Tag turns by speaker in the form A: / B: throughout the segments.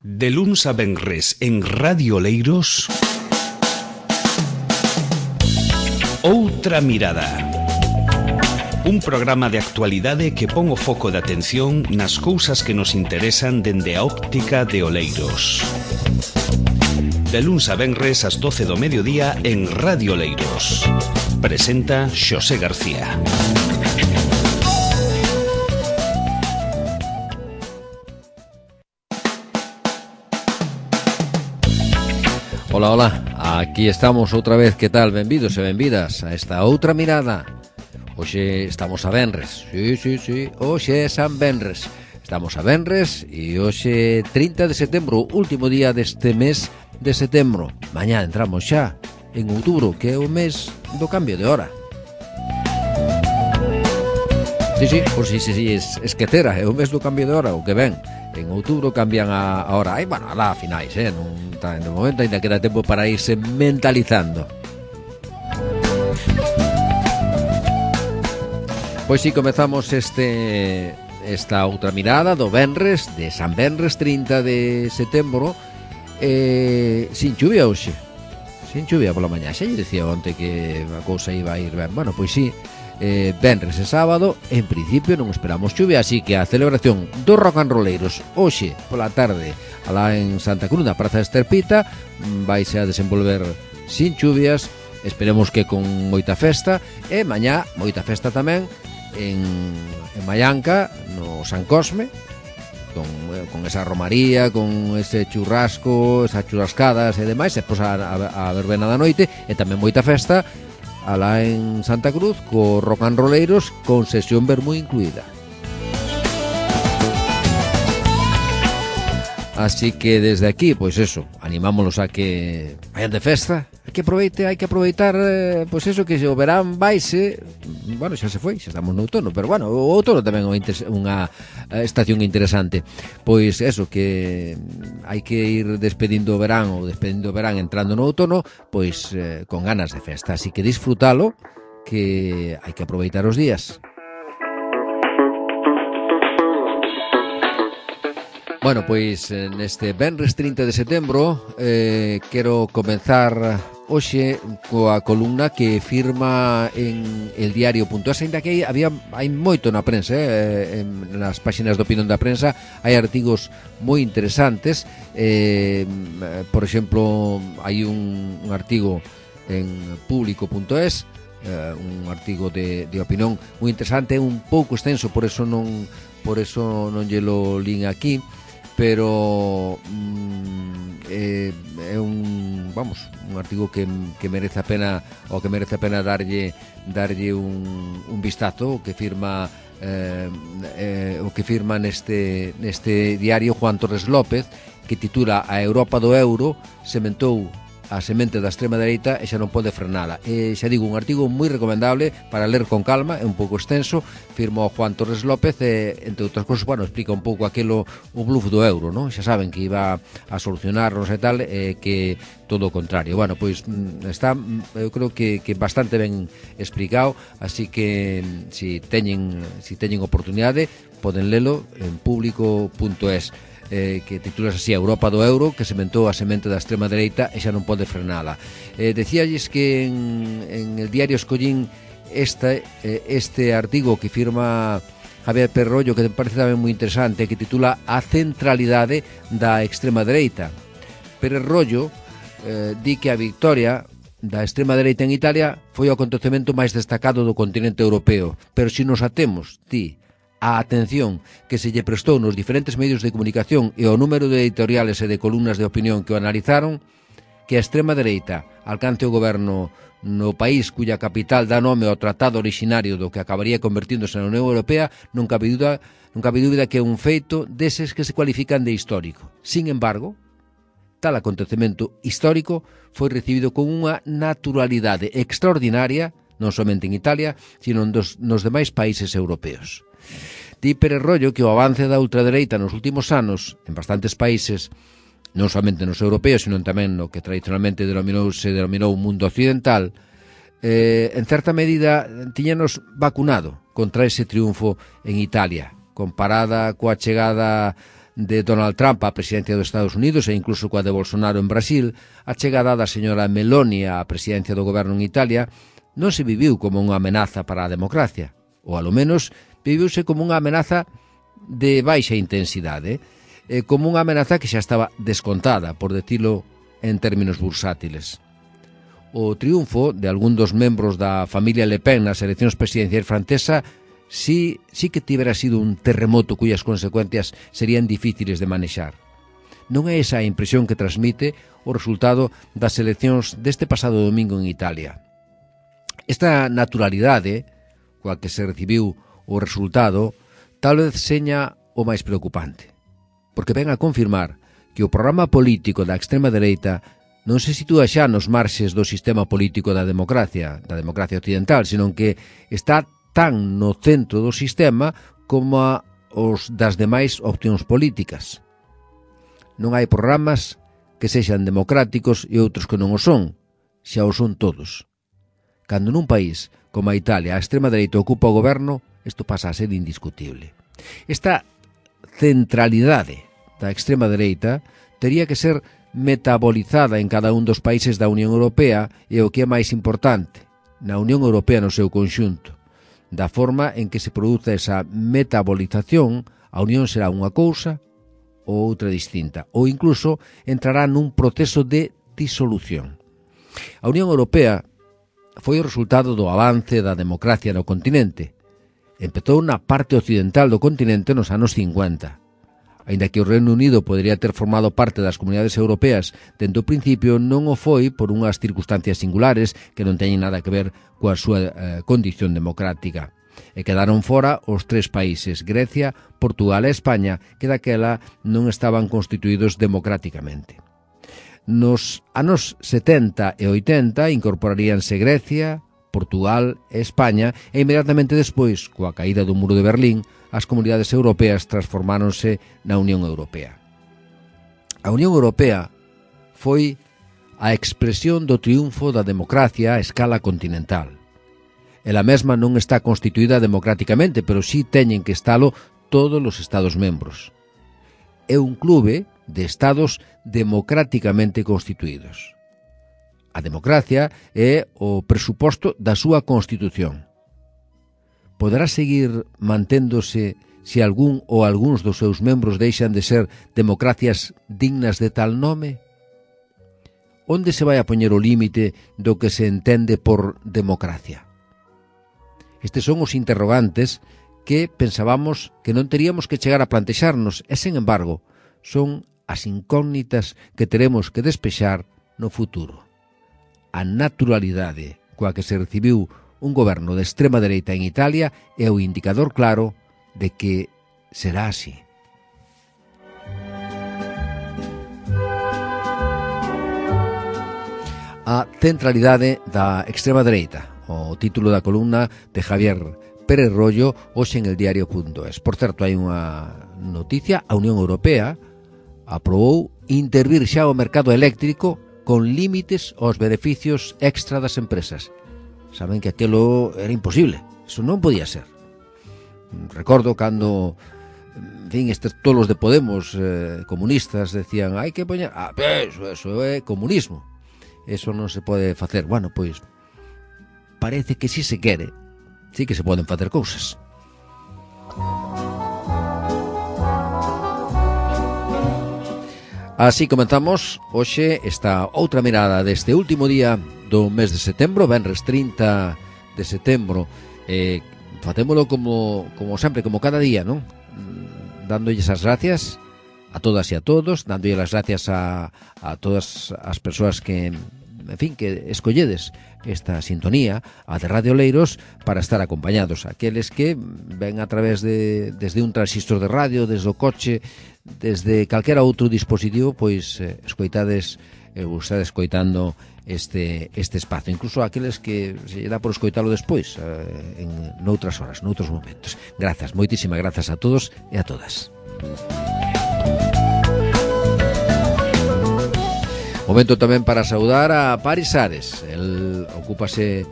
A: De luns a venres en Radio Oleiros, Outra Mirada. Un programa de actualidade que pon o foco de atención nas cousas que nos interesan dende a óptica de Oleiros. De luns a venres ás 12 do mediodía en Radio Oleiros. Presenta Xosé García.
B: Ola, ola, aquí estamos outra vez, que tal? Benvidos e benvidas a esta Outra Mirada. Hoxe estamos a venres, sí, hoxe é San Venres. Estamos a venres e hoxe 30 de setembro, último día deste mes de setembro. Mañá entramos xa en outubro, que é o mes do cambio de hora. Sí, por si esquecera, é o mes do cambio de hora, o que ven. En outubro cambian a hora. Aí, bueno, alá a finais, non está en o momento, ainda queda tempo para irse mentalizando. Pois si, comezamos esta outra mirada do venres, de San Venres, 30 de setembro, sin chuvia hoxe. Sin chuvia pola mañá. Xa lle dicía onte que a cousa iba a ir ben. Bueno, pois si, venres e sábado en principio non esperamos chuvia, así que a celebración dos rock and rolleiros hoxe pola tarde alá en Santa Cruz, na Praza de Esterpita, vaise a desenvolver sin chuvias, esperemos que con moita festa, e mañá moita festa tamén en Mallanca, no San Cosme, con esa romaría, con ese churrasco, esas churrascadas e demais, e pois a verbena da noite, e tamén moita festa alá en Santa Cruz, co rock and rolleiros, con sesión vermú incluída. Así que desde aquí, pois eso, animámonos a que vayan de festa, hai que aproveitar, pois eso, que o verán vaise, bueno, xa se foi, xa estamos no outono, pero bueno, o outono tamén é unha estación interesante. Pois eso, que hai que ir despedindo o verán entrando no outono, pois con ganas de festa, así que disfrutalo, que hai que aproveitar os días. Bueno, pois neste venres 30 de setembro quero comenzar hoxe coa columna que firma en eldiario.es, ainda que hai moito na prensa, nas páxinas de opinión da prensa hai artigos moi interesantes, por exemplo, hai un artigo en público.es, un artigo de opinión moi interesante, un pouco extenso, por eso non llelo lín aquí, pero é un artigo que merece a pena, o que merece a pena darlle un vistazo, que firma neste diario Juan Torres López, que titula A Europa do Euro sementou a semente da extrema dereita e xa non pode frenala. Xa digo, un artigo moi recomendable para ler con calma, é un pouco extenso, firma Juan Torres López e, entre outras cousas, bueno, explica un pouco aquilo, o bluff do euro, non? Xa saben que iba a solucionarnos e tal, que todo o contrario. Bueno, pois está, eu creo que bastante ben explicado, así que si teñen oportunidade, poden lelo en público.es. Que titulas así, a Europa do Euro, que sementou a semente da extrema dereita e xa non pode frenala. Decíalles que en el diario escollín este artigo que firma Javier Perrollo, que me parece tamén moi interesante, que titula A centralidade da extrema dereita. Perrollo di que a victoria da extrema dereita en Italia foi o acontecemento máis destacado do continente europeo, pero se nos atemos, a atención que se lle prestou nos diferentes medios de comunicación e o número de editoriales e de columnas de opinión que o analizaron, que a extrema dereita alcance o goberno no país cuya capital dá nome ao tratado originario do que acabaría convertíndose na Unión Europea, non cabe dúbida que é un feito deses que se cualifican de histórico. Sin embargo, tal acontecemento histórico foi recibido con unha naturalidade extraordinaria, non somente en Italia, sino nos demais países europeos. Di Perrollo que o avance da ultradereita nos últimos anos en bastantes países, non somente nos europeos, sino tamén no que tradicionalmente se denominou mundo occidental, en certa medida tiñanos vacunado contra ese triunfo en Italia, comparada coa chegada de Donald Trump á presidencia dos Estados Unidos e incluso coa de Bolsonaro en Brasil, a chegada da señora Meloni á presidencia do goberno en Italia non se viviu como unha amenaza para a democracia, ou alo menos viviuse como unha amenaza de baixa intensidade, como unha amenaza que xa estaba descontada, por decirlo en términos bursátiles. O triunfo de algún dos membros da familia Le Pen nas eleccións presidenciais francesa sí que tivera sido un terremoto cuyas consecuencias serían difíciles de manexar. Non é esa a impresión que transmite o resultado das eleccións deste pasado domingo en Italia. Esta naturalidade coa que se recibiu o resultado tal vez seña o máis preocupante, porque ven a confirmar que o programa político da extrema dereita non se sitúa xa nos marxes do sistema político da democracia occidental, senón que está tan no centro do sistema como os das demais opcións políticas. Non hai programas que sexan democráticos e outros que non o son, xa o son todos. Cando nun país como a Italia a extrema dereita ocupa o goberno, isto pasa a ser indiscutible. Esta centralidade da extrema dereita tería que ser metabolizada en cada un dos países da Unión Europea e o que é máis importante, na Unión Europea no seu conxunto. Da forma en que se produce esa metabolización, a Unión será unha cousa ou outra distinta, ou incluso entrará nun proceso de disolución. A Unión Europea foi o resultado do avance da democracia no continente. Empezou na parte occidental do continente nos anos 50. Aínda que o Reino Unido podería ter formado parte das comunidades europeas dende o principio, non o foi por unhas circunstancias singulares que non teñen nada que ver coa súa condición democrática. E quedaron fora os tres países, Grecia, Portugal e España, que daquela non estaban constituídos democráticamente. Nos anos 70 e 80 incorporaríanse Grecia, Portugal e España, e inmediatamente despois, coa caída do muro de Berlín, as comunidades europeas transformáronse na Unión Europea. A Unión Europea foi a expresión do triunfo da democracia a escala continental. Ela mesma non está constituída democráticamente, pero sí teñen que estalo todos os Estados membros. É un clube de Estados democráticamente constituídos. A democracia é o presuposto da súa Constitución. Poderá seguir manténdose se algún ou algúns dos seus membros deixan de ser democracias dignas de tal nome? Onde se vai a poñer o límite do que se entende por democracia? Estes son os interrogantes que pensábamos que non teríamos que chegar a plantexarnos e, sen embargo, son as incógnitas que teremos que despexar no futuro. A naturalidade coa que se recibiu un goberno de extrema dereita en Italia é o indicador claro de que será así. A centralidade da extrema dereita, o título da columna de Javier Pérez Rollo, hoxe en el diario.es. Por certo, hai unha noticia: a Unión Europea aprobou intervir xa o mercado eléctrico con límites aos beneficios extra das empresas. Saben que aquilo era imposible, eso non podía ser. Recordo cando, en fin, estes tolos de Podemos comunistas decían, hai que poñer, eso é comunismo, eso non se pode facer. Bueno, pois parece que si se quere, sí que se poden facer cousas. Así comenzamos hoxe esta outra mirada deste último día do mes de setembro, venres 30 de setembro. Facémolo como sempre, como cada día, non? Dándolles as gracias a todas e a todos, dándolles as gracias a todas as persoas que, en fin, que escolledes esta sintonía, a de Radio Oleiros, para estar acompañados. Aqueles que ven a través desde un transistor de radio, desde o coche, desde calquera outro dispositivo, pois escoitades, estades escoitando este espazo, incluso aqueles que se dá por escoitalo despois, en noutras horas, noutros momentos. Grazas, moitísimas grazas a todos e a todas. Momento tamén para saudar a Paris Ares. El ocúpase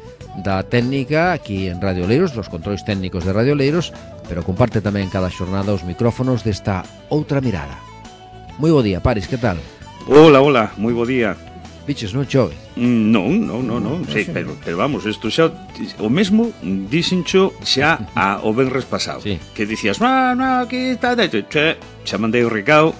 B: da técnica aquí en Radio Oleiros, dos controis técnicos de Radio Oleiros, pero comparte tamén cada xornada os micrófonos desta outra mirada. Moi bo día, Paris, que tal?
C: Hola, moi bo día.
B: Biches, non chove?
C: Non, sí, pero vamos, isto xa o mesmo dixencho xa o venres pasado,
B: sí.
C: Que dicías, no, que está, xa mandei o recado,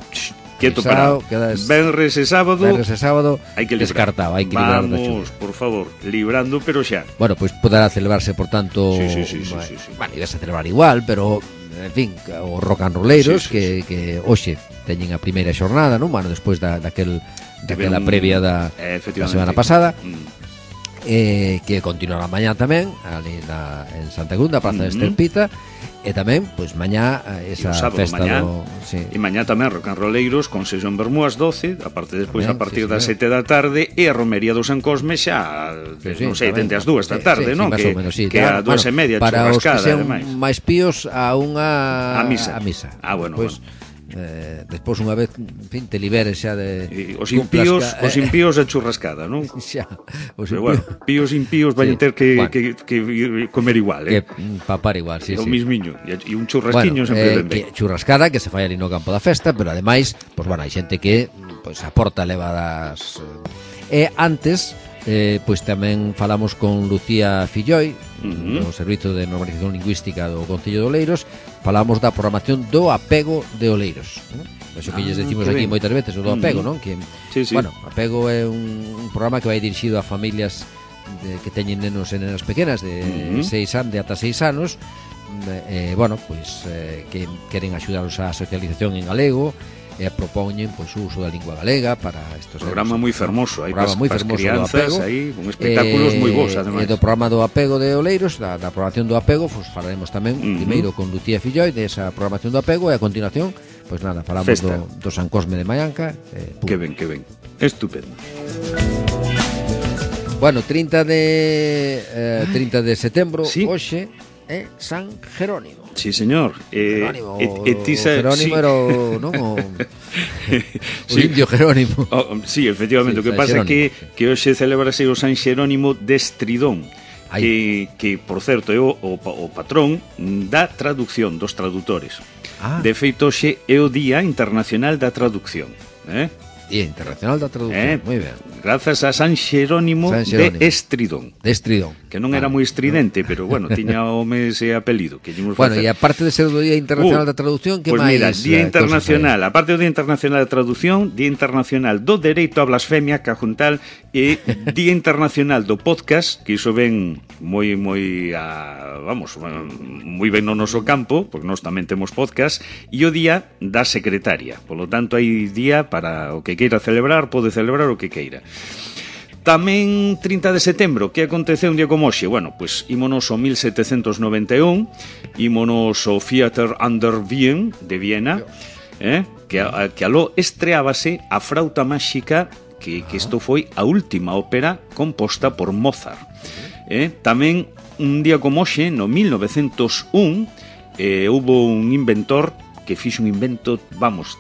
C: quieto parado. Venres e sábado hai que
B: descartado, hai que librar da
C: chuva. Vamos, por favor, librando, pero xa.
B: Bueno, pois poderá celebrarse, por tanto,
C: sí.
B: Bueno, ibas a celebrar igual, pero en fin, os rock and rolleiros sí. Que hoxe teñen a primeira xornada, non? Bueno, despois daquela previa da semana pasada, que continuará mañá tamén ali en Santa Cruz, da Praza de Esterpita, e tamén, pois, mañá esa festa
C: mañá,
B: sí.
C: E mañá tamén rock and rolleiros con sesión Bermú ás 12, aparte despois tamén, a partir das 7 da tarde, e a romería do San Cosme xa, non sei, tende as 2 da tarde, non?
B: Que
C: a 2:30
B: para os que sean
C: máis
B: píos a unha
C: misa.
B: Bueno, pues, despois unha vez, en fin, te liberes xa de
C: os impíos a churrascada, non?
B: Xa,
C: pero bueno, píos impíos vai ter que comer igual,
B: que papar igual, sí.
C: O mismiño, e un churrasquiño sempre ben ben.
B: Churrascada que se fai ali no campo da festa, pero ademais, pois bueno, hai xente que pois aporta levadas. E antes pois tamén falamos con Lucía Filloi, do Servizo de Normalización Lingüística do Concello de Oleiros. Falamos da programación do apego de Oleiros, eso que lles decimos aquí moitas veces, o do apego, non? Que,
C: sí.
B: Bueno, apego é un programa que vai dirixido a familias que teñen nenos e nenas pequenas de 6 anos, de ata 6 anos, bueno, pois que queren axudaros á socialización en galego, e propoñen pois o uso da lingua galega para estos
C: programa moi fermoso, aí
B: para as
C: crianzas, aí con espectáculos moi bons ademais.
B: E do programa do apego de Oleiros, da programación do apego, pois falaremos tamén primeiro con Lucía Filloi desa programación do apego, e a continuación, pois nada, falamos do San Cosme de Maianca.
C: Que ben, estupendo.
B: Bueno, 30 de setembro,
C: sí.
B: Hoxe é San Jerónimo.
C: Sí, señor.
B: Jerónimo, Jerónimo era o indio Jerónimo.
C: Sí, efectivamente, o que pasa é que hoxe celebrase o San Jerónimo de Estridón, que por certo é o patrón da traducción, dos traductores. De feito, hoxe é o Día Internacional da Traducción,
B: Día Internacional da Traducción, moi ben.
C: Grazas a San Jerónimo de Estridón. Que non era moi estridente, pero bueno, tiña o mes e apelido.
B: Bueno, e aparte de ser o Día Internacional da Traducción, que
C: pues
B: máis?
C: Mira, Día Internacional, aparte do Día Internacional da Traducción, Día Internacional do Dereito á Blasfemia, cajuntal, e Día Internacional do Podcast, que iso ven moi ben no noso campo, porque nós tamén temos podcast, e o Día da Secretaria. Por lo tanto, hai día para o que queira celebrar, pode celebrar o que queira. Tamén 30 de setembro, que aconteceu un día como hoxe? Bueno, pois ímonos ao 1791, ímonos ao Theater an der Wien de Viena, que aló estreábase a Frauta Máxica, que isto foi a última ópera composta por Mozart. Tamén un día como hoxe, no 1901, houve un inventor que fixe un invento,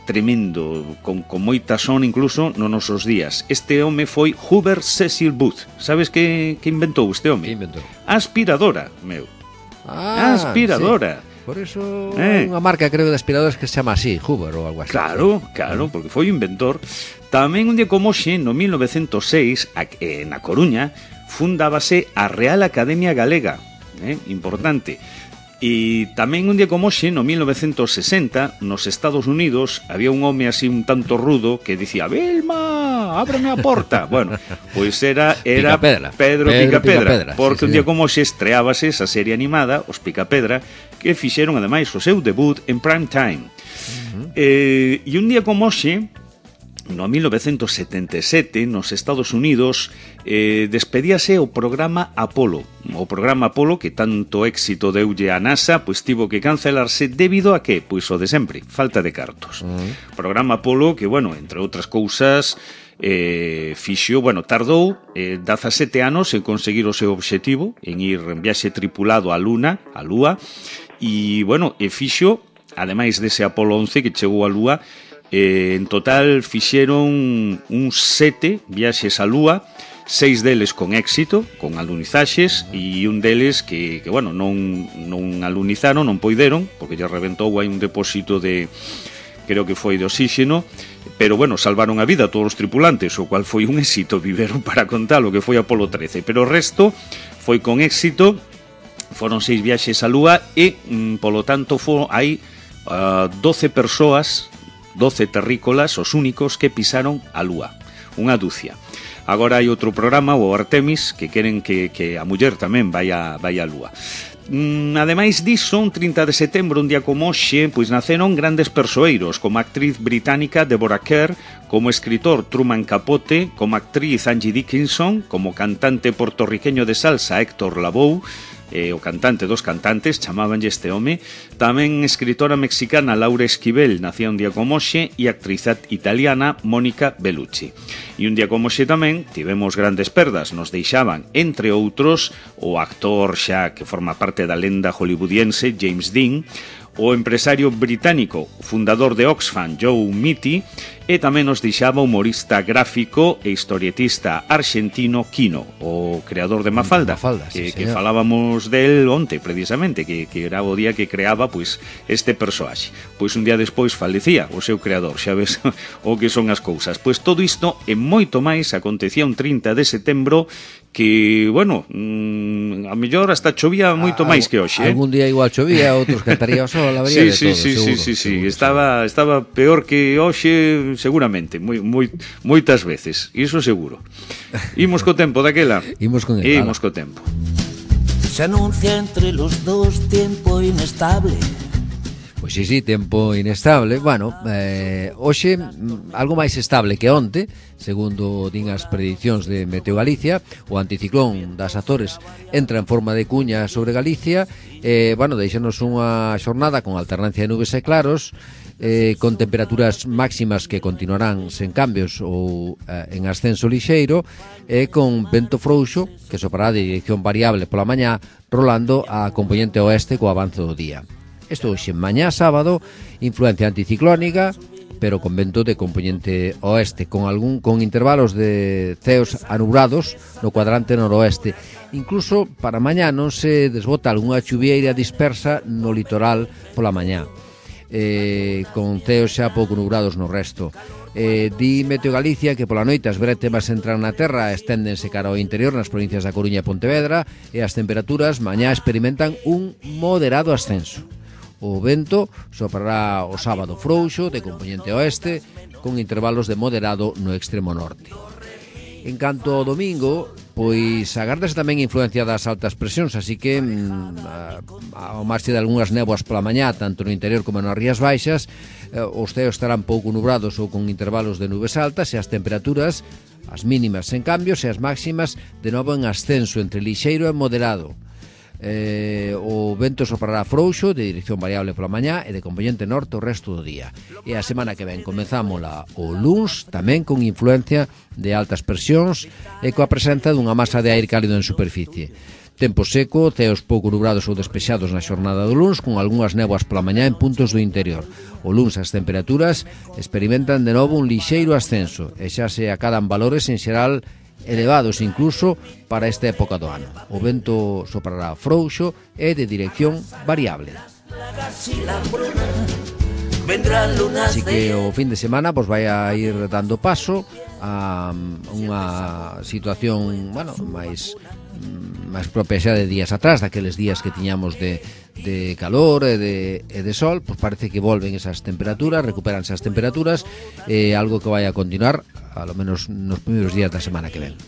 C: tremendo, con moita son incluso nos nosos días. Este home foi Hubert Cecil Booth. Sabes que inventou este home?
B: Que inventou?
C: Aspiradora, meu. Aspiradora.
B: Sí. Por eso unha marca, creo, de aspiradoras que se chama así, Huber ou algo así.
C: Claro, porque foi o inventor. Tamén un día como hoxe, no 1906, na Coruña, fundábase a Real Academia Galega. Importante. E tamén un día como hoxe, no 1960, nos Estados Unidos, había un home así un tanto rudo que dicía: Vilma, ábreme a porta. Bueno, pois era Pedro Picapedra, porque un día como hoxe estreábase esa serie animada, Os Picapedra, que fixeron ademais o seu debut en prime time. E un día como hoxe, no 1977, nos Estados Unidos, despedíase o programa Apolo. O programa Apolo, que tanto éxito deulle a NASA, pois tivo que cancelarse debido a que? Pois o de sempre, falta de cartos. Programa Apolo que, entre outras cousas, tardou 17 anos en conseguir o seu obxectivo, en ir en viaxe tripulado á Lúa, e, fixo, ademais dese Apolo 11 que chegou á Lúa, en total fixeron uns 7 viaxes á Lúa, 6 deles con éxito, con alunizaxes, e un deles que bueno, non alunizaron, non poideron, porque lle reventou aí un depósito de, creo que foi de oxígeno, pero bueno, salvaron a vida a todos os tripulantes, o cual foi un éxito, viveron para contar o que foi Apolo 13, pero o resto foi con éxito. Foron 6 viaxes á Lúa e, polo tanto, hai 12 persoas, 12 terrícolas, os únicos que pisaron a Lúa, unha dúcia. Agora hai outro programa, o Artemis, que queren que a muller tamén vai á Lúa. Ademais diso, un 30 de setembro, un día como hoxe, pois naceron grandes persoeiros, como a actriz británica Deborah Kerr, como escritor Truman Capote, como actriz Angie Dickinson, como cantante portorriqueño de salsa Héctor Lavoe, o cantante dos cantantes, chamábanlle este home, tamén escritora mexicana Laura Esquivel, nacía un día como hoxe, e actriz italiana Mónica Bellucci. E un día como hoxe tamén tivemos grandes perdas, nos deixaban, entre outros, o actor xa que forma parte da lenda hollywoodiense James Dean, o empresario británico, fundador de Oxfam, Joe Mitty, e tamén nos deixaba o humorista gráfico e historietista argentino Quino, o creador de Mafalda,
B: sí,
C: que falábamos del onte, precisamente, que era o día que creaba pois este persoaxe. Pois un día despois falecía o seu creador, xa ves o que son as cousas. Pois todo isto e moito máis acontecía un 30 de setembro que, bueno, a mellor hasta chovía moito máis que hoxe.
B: Algún día igual chovía, outros cantaría o sol, habría de todo, seguro.
C: Sí, estaba peor que hoxe, seguramente, moitas veces, iso seguro. Imos co tempo daquela.
B: Imos con el.
C: Imos co tempo.
D: Se anuncia entre los dos tiempo inestable.
B: Pois sí, tempo inestable. Bueno, hoxe algo máis estable que onte, segundo din as predicións de Meteo Galicia. O anticiclón das Azores entra en forma de cuña sobre Galicia. Bueno, deixanos unha xornada con alternancia de nubes e claros, con temperaturas máximas que continuarán sen cambios ou en ascenso lixeiro, e con vento frouxo que soprará de dirección variable pola mañá, rolando a componente oeste co avance do día. Isto hoxe, mañá sábado, influencia anticiclónica, pero con vento de componente oeste, con intervalos de ceos anubrados no cuadrante noroeste. Incluso para mañá non se desbota algunha chuvieira dispersa no litoral pola mañá, con ceos xa pouco nubrados no resto. Di Meteo Galicia que pola noite as brétemas entran na terra, esténdense cara ao interior nas provincias da Coruña e Pontevedra, e as temperaturas mañá experimentan un moderado ascenso. O vento soprará o sábado frouxo de componente oeste, con intervalos de moderado no extremo norte. En canto ao domingo, pois agárdase tamén influencia das altas presións, así que ao marxe de algunhas néboas pola mañá, tanto no interior como nas Rías Baixas, os ceos estarán pouco nubrados ou con intervalos de nubes altas, e as temperaturas, as mínimas sen cambios e as máximas de novo en ascenso entre lixeiro e moderado. O vento soprará frouxo de dirección variable pola mañá e de componente norte o resto do día. E a semana que ven comezámola o luns tamén con influencia de altas presións e coa presenza dunha masa de aire cálido en superficie. Tempo seco, ceos pouco nubrados ou despexados na xornada do luns, con algunhas néboas pola mañá en puntos do interior. O luns as temperaturas experimentan de novo un lixeiro ascenso e xa se acadan valores en xeral elevados incluso para esta época do ano. O vento soprará frouxo e de dirección variable. Así que o fin de semana pois vai a ir dando paso a unha situación, bueno, máis propia xa de días atrás, daqueles días que tiñamos de calor e de sol. Pois parece que volven esas temperaturas, recuperanse as temperaturas, algo que vai a continuar a lo menos nos primeiros días da semana que ven.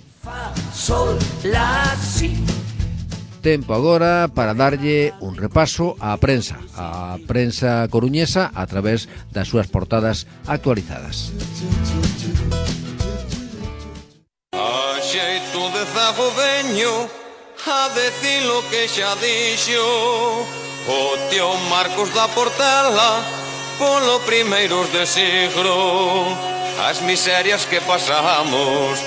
B: Tempo agora para darlle un repaso á prensa coruñesa a través das súas portadas actualizadas.
E: A xeito de zagodeño, a decir lo que xa dixo o tío Marcos da Portela polo primeiros de siglo. As miserias que pasamos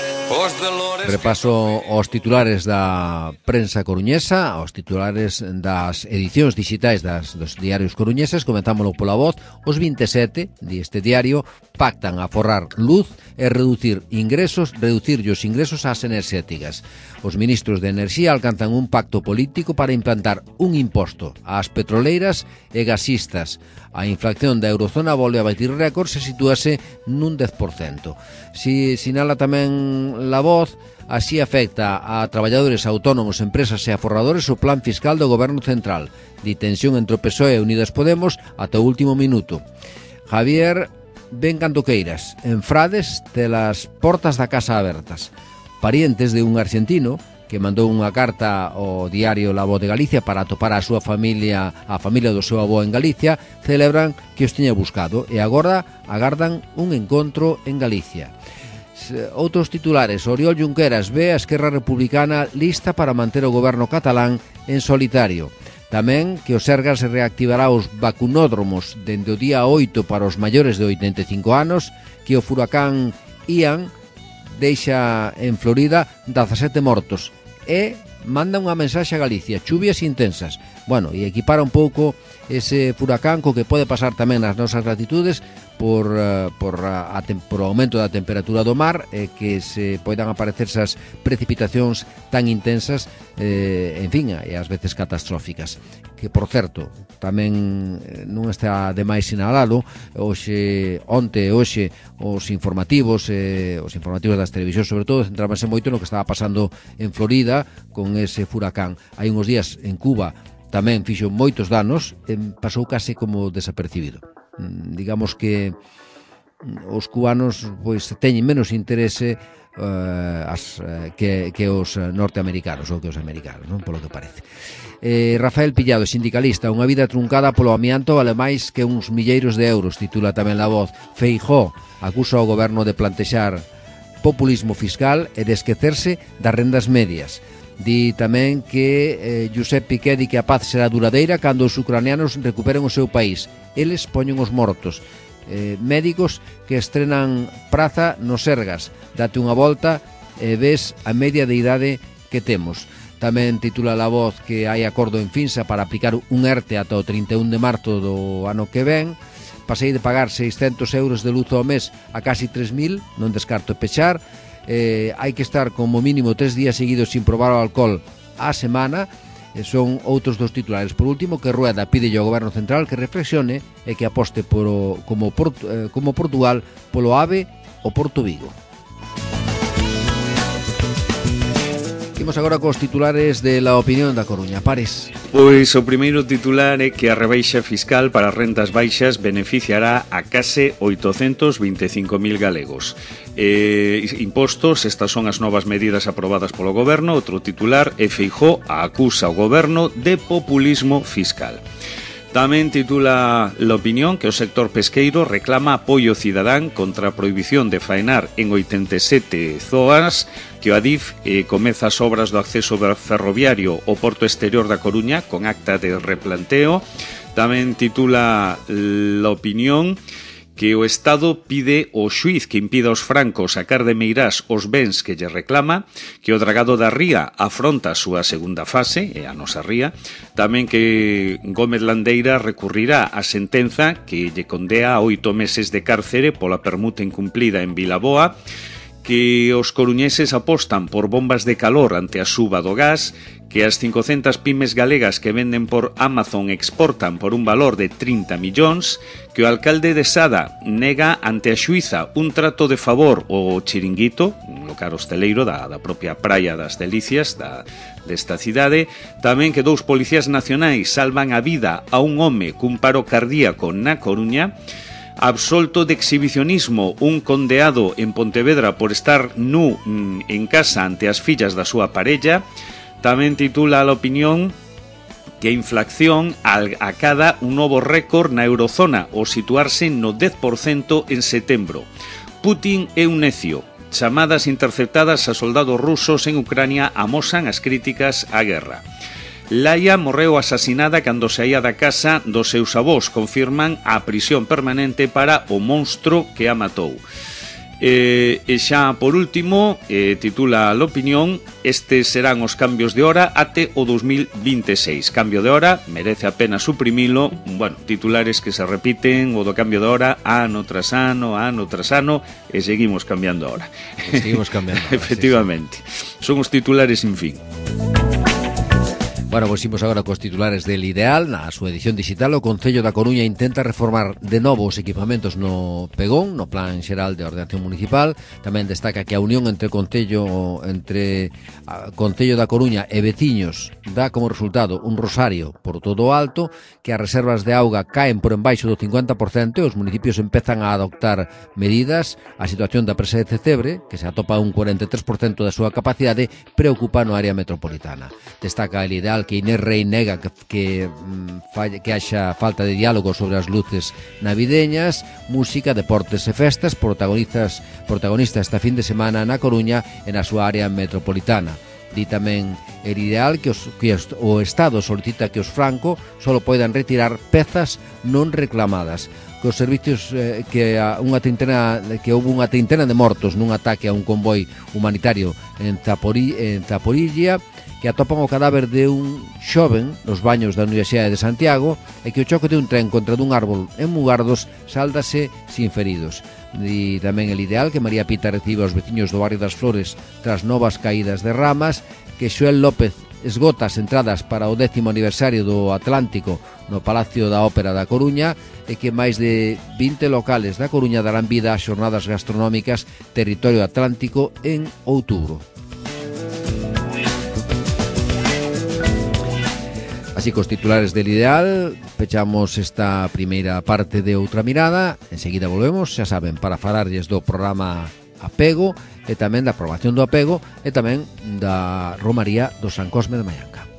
B: Repaso aos titulares da prensa coruñesa, aos titulares das edicións digitais dos diarios coruñeses. Comentámoslo pola voz. Os 27 deste diario pactan aforrar luz e reducir os ingresos ás enerxéticas. Os ministros de Enerxía alcanzan un pacto político para implantar un imposto ás petroleiras e gasistas. A inflación da eurozona volve a batir récords e sitúase nun 10%. Sinala tamén La Voz, así afecta a traballadores autónomos, empresas e aforradores o plan fiscal do Goberno Central. Ditensión entre o PSOE e Unidas Podemos ata o último minuto. Javier, ven cando queiras. En Frades, telas portas da casa abertas. Parientes de un argentino que mandou unha carta ao diario La Voz de Galicia para atopar a súa familia, a familia do seu avó en Galicia, celebran que os tiña buscado e agora agardan un encontro en Galicia. Outros titulares: Oriol Junqueras ve a Esquerra Republicana lista para manter o goberno catalán en solitario. Tamén que o Sergas reactivará os vacunódromos dende o día 8 para os maiores de 85 anos, que o furacán Ian deixa en Florida 17 mortos e manda unha mensaxe a Galicia: chuvias intensas. Bueno, e equipara un pouco ese furacán co que pode pasar tamén nas nosas latitudes por o aumento da temperatura do mar, que se poidan aparecer esas precipitacións tan intensas, en fin, e ás veces catastróficas. Que, por certo, tamén non está de máis sinalalo, onte e hoxe os informativos das televisións, sobre todo, centrábanse moito no que estaba pasando en Florida con ese furacán. Hai uns días en Cuba tamén fixo moitos danos, pasou case como desapercibido. Digamos que os cubanos pois teñen menos interese que os norteamericanos ou que os americanos, non? Polo que parece. Rafael Pillado, sindicalista: unha vida truncada polo amianto vale máis que uns milleiros de euros, titula tamén La Voz. Feijóo acusa o goberno de plantexar populismo fiscal e de esquecerse das rendas medias. Di tamén que Josep Piqué di que a paz será duradeira cando os ucranianos recuperen o seu país. Eles poñen os mortos. Médicos que estrenan praza no Sergas. Date unha volta e ves a media de idade que temos. Tamén titula La Voz que hai acordo en Finsa para aplicar un ERTE ata o 31 de marzo do ano que ven. Pasei de pagar 600 euros de luz ao mes a casi 3.000, non descarto pechar. Hai que estar como mínimo 3 días seguidos sin probar o alcohol á semana. Son outros dos titulares. Por último, que Rueda pide ao Goberno Central que reflexione e que aposte como Portugal polo AVE o Porto Vigo. Imos agora cos titulares de La Opinión da Coruña. Pares.
C: Pois o primeiro titular é que a rebaixa fiscal para as rentas baixas beneficiará a case 825.000 galegos. Impostos, estas son as novas medidas aprobadas polo goberno. Outro titular é Feijóo acusa o goberno de populismo fiscal. Tamén titula La Opinión que o sector pesqueiro reclama apoio cidadán contra a prohibición de faenar en 87 zonas, que o Adif comeza as obras do acceso ferroviario ao porto exterior da Coruña con acta de replanteo. Tamén titula La Opinión que o Estado pide ao xuiz que impida aos francos sacar de Meirás os bens que lle reclama, que o dragado da Ría afronta a súa segunda fase, e a nosa ría, tamén que Gómez Landeira recurrirá a sentenza que lle condea a 8 meses de cárcere pola permuta incumplida en Vilaboa, que os coruñeses apostan por bombas de calor ante a suba do gas, que as 500 pymes galegas que venden por Amazon exportan por un valor de 30 millóns, que o alcalde de Sada nega ante a xuíza un trato de favor ao Chiringuito, un local hosteleiro da propia Praia das Delicias desta cidade, tamén que 2 policías nacionais salvan a vida a un home cun paro cardíaco na Coruña, absolto de exhibicionismo un condeado en Pontevedra por estar nu en casa ante as fillas da súa parella. Tamén titula La Opinión que a inflación acada un novo récord na eurozona ao situarse no 10% en setembro. Putin é un necio. Chamadas interceptadas a soldados rusos en Ucrania amosan as críticas á guerra. Laia morreu asasinada cando saía da casa dos seus avós. Confirman a prisión permanente para o monstro que a matou. E xa por último, titula l'opinión: estes serán os cambios de hora até o 2026. Cambio de hora, merece a pena suprimilo. Bueno, titulares que se repiten, o do cambio de hora ano tras ano, e seguimos cambiando a hora.
B: Seguimos cambiando.
C: Efectivamente, sí. Son os titulares sin fin.
B: Bueno, pois imos agora cos titulares del Ideal. Na súa edición digital, o Concello da Coruña intenta reformar de novo os equipamentos no Pegón, no Plan Xeral de Ordenación Municipal. Tamén destaca que a unión entre Concello da Coruña e veciños dá como resultado un rosario por todo o alto, que as reservas de auga caen por embaixo do 50% e os municipios empezan a adoptar medidas. A situación da presa de Cecebre, que se atopa un 43% da súa capacidade, preocupa no área metropolitana. Destaca el Ideal que Inés Rey nega que haxa falta de diálogo sobre as luces navideñas. Música, deportes e festas protagonista esta fin de semana na Coruña e na súa área metropolitana. Di tamén el Ideal que o Estado solicita que os Franco só poidan retirar pezas non reclamadas, que os servicios que houve unha treintena de mortos nun ataque a un convoi humanitario en Zaporilla, que atopan o cadáver de un xoven nos baños da Universidade de Santiago, e que o choque de un tren contra dun árbol en Mugardos sáldase sin feridos. E tamén el Ideal que María Pita recibe aos veciños do barrio das Flores tras novas caídas de ramas, que Xoel López esgota as entradas para o 10º aniversario do Atlántico no Palacio da Ópera da Coruña, e que máis de 20 locales da Coruña darán vida ás xornadas gastronómicas Territorio Atlántico en outubro. Así cos titulares del Ideal pechamos esta primeira parte de Outra Mirada. Enseguida volvemos, xa saben, para falarlles do programa Apego e tamén da aprobación do apego e tamén da Romaría do San Cosme de Maianca.